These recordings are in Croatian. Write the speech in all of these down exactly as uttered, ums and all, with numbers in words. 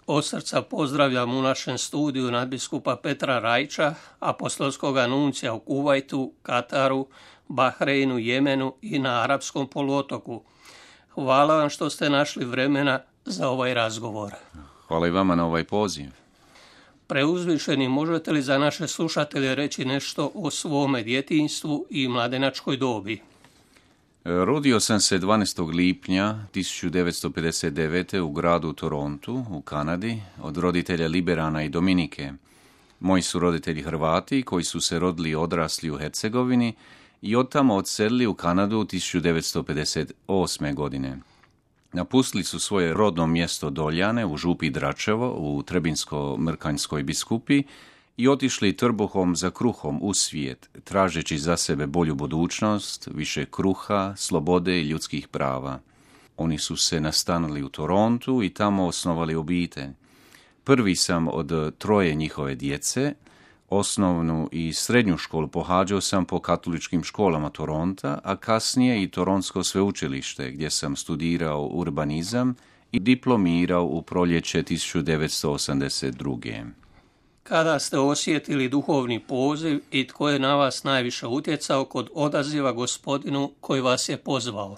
od srca pozdravljam u našem studiju nadbiskupa Petra Rajča, apostolskog nuncija u Kuvajtu, Kataru, Bahreinu, Jemenu i na Arapskom poluotoku. Hvala vam što ste našli vremena za ovaj razgovor. Hvala i vama na ovaj poziv. Preuzvišeni, možete li za naše slušatelje reći nešto o svome djetinjstvu i mladenačkoj dobi? Rodio sam se dvanaestog lipnja tisuću devetsto pedeset devete. u gradu Torontu, u Kanadi, od roditelja Liberana i Dominike. Moji su roditelji Hrvati koji su se rodili i odrasli u Hercegovini i od tamo odselili u Kanadu tisuću devetsto pedeset osme. godine. Napustili su svoje rodno mjesto Doljane u župi Dračevo u Trebinsko-Mrkanjskoj biskupiji i otišli trbuhom za kruhom u svijet, tražeći za sebe bolju budućnost, više kruha, slobode i ljudskih prava. Oni su se nastanili u Torontu i tamo osnovali obitelj. Prvi sam od troje njihove djece. Osnovnu i srednju školu pohađao sam po katoličkim školama Toronta, a kasnije i Toronsko sveučilište, gdje sam studirao urbanizam i diplomirao u proljeće tisuću devetsto osamdeset druge. Kada ste osjetili duhovni poziv i tko je na vas najviše utjecao kod odaziva Gospodinu koji vas je pozvao?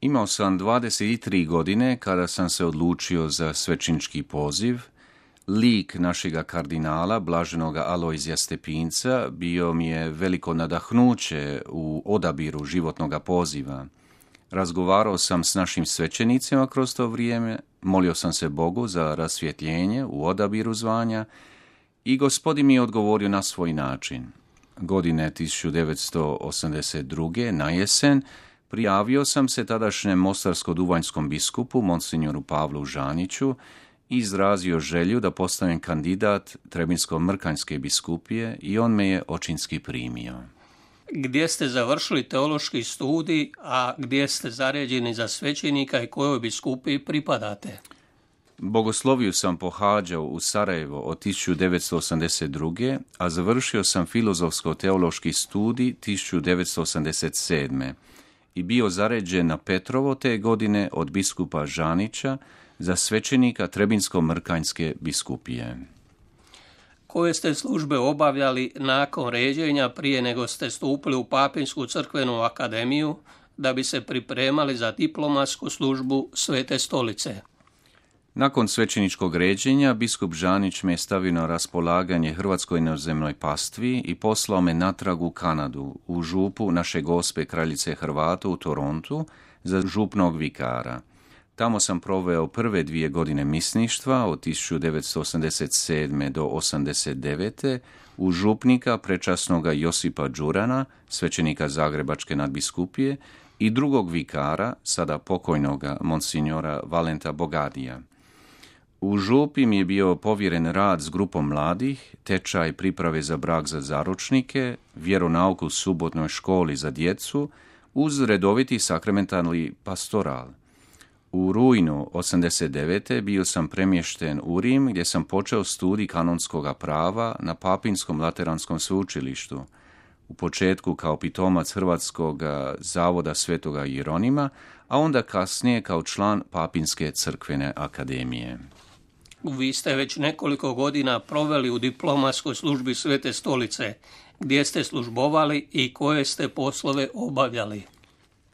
Imao sam dvadeset tri godine kada sam se odlučio za svećenički poziv. Lik našega kardinala, blaženoga Alojzija Stepinca, bio mi je veliko nadahnuće u odabiru životnog poziva. Razgovarao sam s našim svećenicima kroz to vrijeme, molio sam se Bogu za rasvjetljenje u odabiru zvanja i Gospodin mi je odgovorio na svoj način. Godine tisuću devetsto osamdeset druge. na jesen prijavio sam se tadašnjem mostarsko-duvanjskom biskupu, monsignoru Pavlu Žaniću, i izrazio želju da postanem kandidat Trebinsko-Mrkanjske biskupije i on me je očinski primio. Gdje ste završili teološki studij, a gdje ste zaređeni za svećenika i kojoj biskupiji pripadate? Bogosloviju sam pohađao u Sarajevo od tisuću devetsto osamdeset druge. a završio sam filozofsko-teološki studij tisuću devetsto osamdeset sedme. i bio zaređen na Petrovo te godine od biskupa Žanića za svećenika Trebinsko-Mrkanjske biskupije. Koje ste službe obavljali nakon ređenja prije nego ste stupili u Papinsku crkvenu akademiju da bi se pripremali za diplomatsku službu Svete stolice? Nakon svećeničkog ređenja, biskup Žanić me je stavio na raspolaganje Hrvatskoj inozemnoj pastvi i poslao me natrag u Kanadu, u župu Naše Gospe Kraljice Hrvata u Torontu za župnog vikara. Tamo sam proveo prve dvije godine misništva od tisuću devetsto osamdeset sedme. do osamdeset devete. u župnika prečasnoga Josipa Đurana, svećenika Zagrebačke nadbiskupije, i drugog vikara, sada pokojnoga monsignora Valenta Bogadija. U župi mi je bio povjeren rad s grupom mladih, tečaj priprave za brak za zaručnike, vjeronauku u subotnoj školi za djecu, uz redoviti sakramentalni pastoral. U rujnu osamdeset devete. bio sam premješten u Rim, gdje sam počeo studij kanonskog prava na Papinskom lateranskom sveučilištu. U početku kao pitomac Hrvatskog zavoda Svetoga Jeronima, a onda kasnije kao član Papinske crkvene akademije. Vi ste već nekoliko godina proveli u diplomatskoj službi Svete stolice. Gdje ste službovali i koje ste poslove obavljali?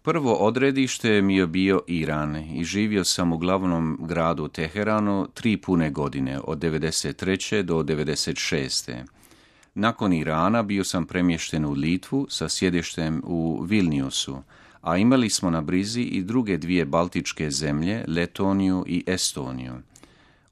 Prvo odredište mi je bio Iran i živio sam u glavnom gradu Teheranu tri pune godine, od devedeset treće. do devedeset šeste. Nakon Irana bio sam premješten u Litvu sa sjedištem u Vilniusu, a imali smo na brizi i druge dvije baltičke zemlje, Letoniju i Estoniju.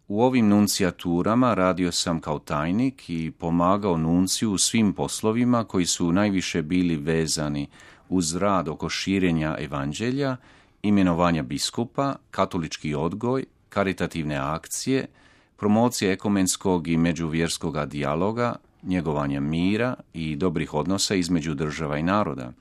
U ovim nuncijaturama radio sam kao tajnik i pomagao nunciju u svim poslovima koji su najviše bili vezani uz rad oko širenja evanđelja, imenovanja biskupa, katolički odgoj, karitativne akcije, promocije ekumenskog i međuvjerskog dijaloga, njegovanja mira i dobrih odnosa između država i naroda.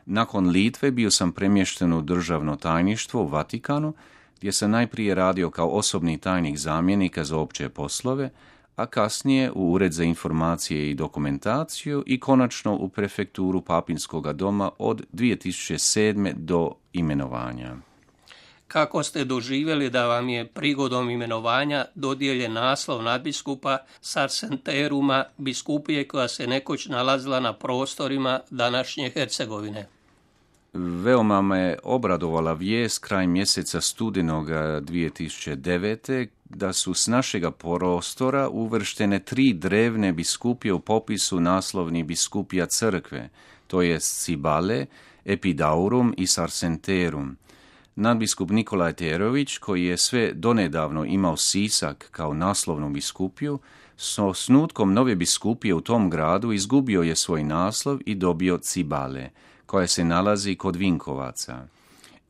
Nakon Litve bio sam premješten u državno tajništvo u Vatikanu, gdje sam najprije radio kao osobni tajnik zamjenika za opće poslove, a kasnije u Ured za informacije i dokumentaciju i konačno u prefekturu Papinskoga doma od dvije tisuće sedme. do imenovanja. Kako ste doživjeli da vam je prigodom imenovanja dodijeljen naslov nadbiskupa Sarsenteruma, biskupije koja se nekoć nalazila na prostorima današnje Hercegovine? Veoma me obradovala vijest kraj mjeseca studenoga dvije tisuće devete da su s našega prostora uvrštene tri drevne biskupije u popisu naslovnih biskupija crkve, to je Cibale, Epidaurum i Sarsenterum. Nadbiskup Nikolaj Terović, koji je sve donedavno imao Sisak kao naslovnu biskupiju, s osnutkom nove biskupije u tom gradu izgubio je svoj naslov i dobio Cibale, koja se nalazi kod Vinkovaca.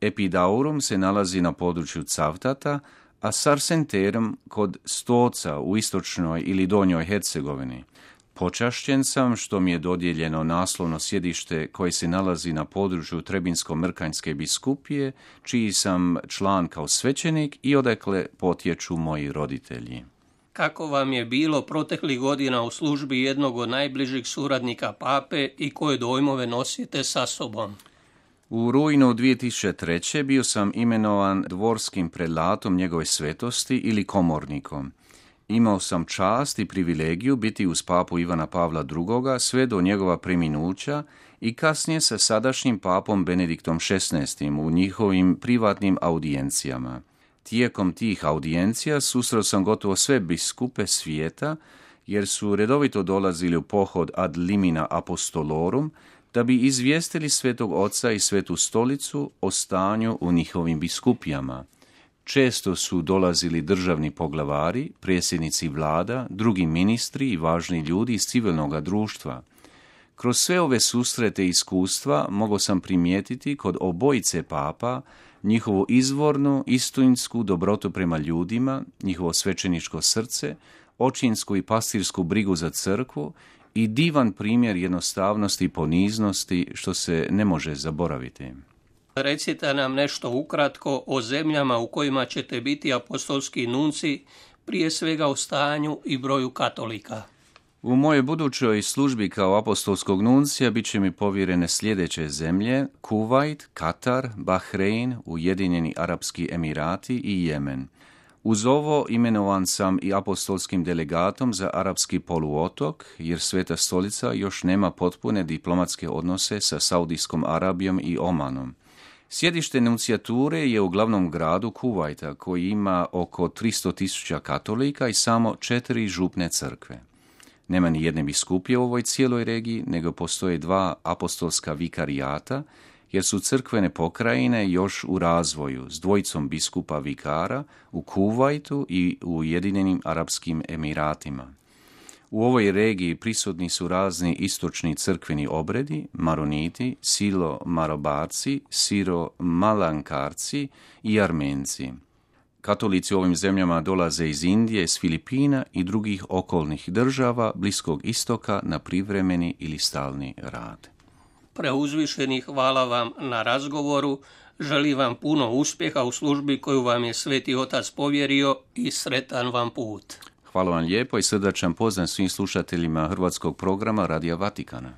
Epidaurum se nalazi na području Cavtata, a Sarsenterum kod Stoca u istočnoj ili donjoj Hercegovini. Počašćen sam što mi je dodijeljeno naslovno sjedište koje se nalazi na području Trebinsko-Mrkanjske biskupije, čiji sam član kao svećenik i odakle potječu moji roditelji. Kako vam je bilo proteklih godina u službi jednog od najbližih suradnika pape i koje dojmove nosite sa sobom? U rujnu dvije tisuće treće. bio sam imenovan dvorskim prelatom njegove svetosti ili komornikom. Imao sam čast i privilegiju biti uz papu Ivana Pavla drugoga sve do njegova preminuća i kasnije sa sadašnjim papom Benediktom šesnaestim u njihovim privatnim audijencijama. Tijekom tih audijencija susreo sam gotovo sve biskupe svijeta, jer su redovito dolazili u pohod ad limina apostolorum, da bi izvijestili Svetog Oca i Svetu Stolicu o stanju u njihovim biskupijama. Često su dolazili državni poglavari, predsjednici vlada, drugi ministri i važni ljudi iz civilnog društva. Kroz sve ove susrete i iskustva mogao sam primijetiti kod obojice papa njihovu izvornu, istinsku dobrotu prema ljudima, njihovo svećeničko srce, očinsku i pastirsku brigu za crkvu i divan primjer jednostavnosti i poniznosti što se ne može zaboraviti. Recite nam nešto ukratko o zemljama u kojima ćete biti apostolski nunci, prije svega o stanju i broju katolika. U mojoj budućoj službi kao apostolskog nuncija bit će mi povjerene sljedeće zemlje: Kuvajt, Katar, Bahrein, Ujedinjeni Arapski Emirati i Jemen. Uz ovo imenovan sam i apostolskim delegatom za arapski poluotok, jer Sveta Stolica još nema potpune diplomatske odnose sa Saudijskom Arabijom i Omanom. Sjedište nuncijature je u glavnom gradu Kuvajta, koji ima oko tristo tisuća katolika i samo četiri župne crkve. Nema ni jedne biskupije u ovoj cijeloj regiji, nego postoje dva apostolska vikarijata, jer su crkvene pokrajine još u razvoju s dvojicom biskupa vikara u Kuvajtu i u Ujedinjenim Arapskim Emiratima. U ovoj regiji prisutni su razni istočni crkveni obredi, maroniti, silo-marobarci, siro-malankarci i armenci. Katolici u ovim zemljama dolaze iz Indije, s Filipina i drugih okolnih država Bliskog istoka na privremeni ili stalni rad. Preuzvišeni, hvala vam na razgovoru, želim vam puno uspjeha u službi koju vam je Sveti Otac povjerio i sretan vam put. Hvala vam lijepo i srdačan pozdrav svim slušateljima hrvatskog programa Radija Vatikana.